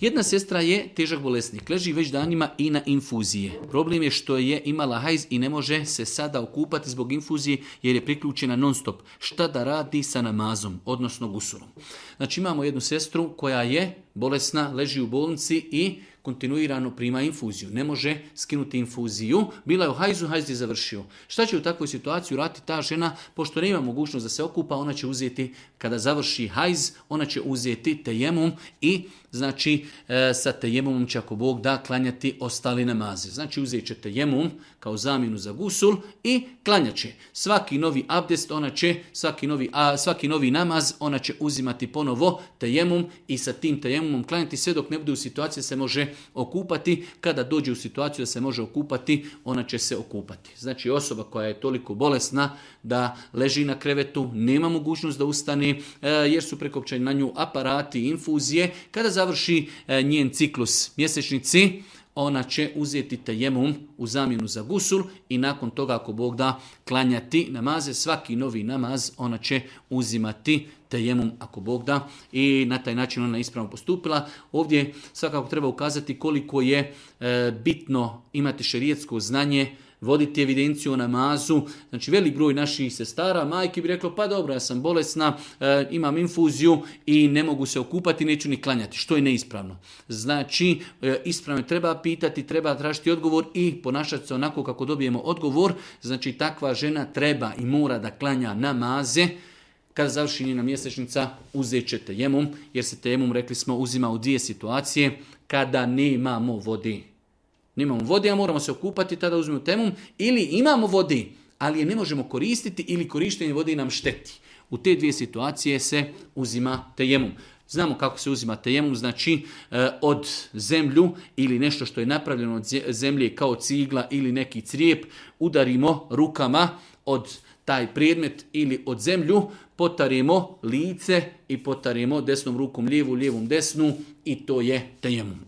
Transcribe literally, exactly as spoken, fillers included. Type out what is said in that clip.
Jedna sestra je težak bolesnik, leži već danima i na infuzije. Problem je što je imala hajz i ne može se sada okupati zbog infuzije jer je priključena non stop. Šta da radi sa namazom, odnosno gusulom? Znači imamo jednu sestru koja je bolesna, leži u bolnici i kontinuirano prima infuziju. Ne može skinuti infuziju. Bila je u hajzu, hajz je završio. Šta će u takvoj situaciji raditi ta žena? Pošto nema mogućnost da se okupa, ona će uzeti, kada završi hajz, ona će uzeti tejemum i znači e, sa tejemumom će ako Bog da klanjati ostali namaze. Znači uzet će tejemum kao zamjenu za gusul i klanjat će. Svaki novi abdest, ona će, svaki novi, a, svaki novi namaz, ona će uzimati ponovo tejemum i sa tim tejemumom klanjati sve dok ne bude u situaciji da se može okupati. Kada dođe u situaciju da se može okupati, ona će se okupati. Znači osoba koja je toliko bolesna da leži na krevetu, nema mogućnost da ustane e, jer su prekopčani na nju aparati i infuzije. Kada završi e, njen ciklus mjesečnici, ona će uzeti tejemum u zamjenu za gusul i nakon toga ako Bog da klanjati namaze, svaki novi namaz ona će uzimati tejemum ako Bog da i na taj način ona ispravno postupila. Ovdje svakako treba ukazati koliko je e, bitno imati šerijetsko znanje, voditi evidenciju o namazu. Znači velik broj naših sestara, majki bi reklo pa dobro ja sam bolesna, e, imam infuziju i ne mogu se okupati, neću ni klanjati, što je neispravno. Znači e, ispravno treba pitati, treba tražiti odgovor i ponašati se onako kako dobijemo odgovor. Znači takva žena treba i mora da klanja namaze. Kada završi njena mjesečnica, uzet će tejemum, jer se tejemum, rekli smo, uzima u dvije situacije kada nemamo vode. Nemamo vode, a moramo se okupati, tada uzmemo tejemum, ili imamo vode, ali je ne možemo koristiti ili korištenje vode nam šteti. U te dvije situacije se uzima tejemum. Znamo kako se uzima tejemum, znači od zemlju ili nešto što je napravljeno od zemlje kao cigla ili neki crijep, udarimo rukama od taj predmet ili od zemlju, potarimo lice i potarimo desnom rukom lijevu, lijevom desnu i to je tejemum.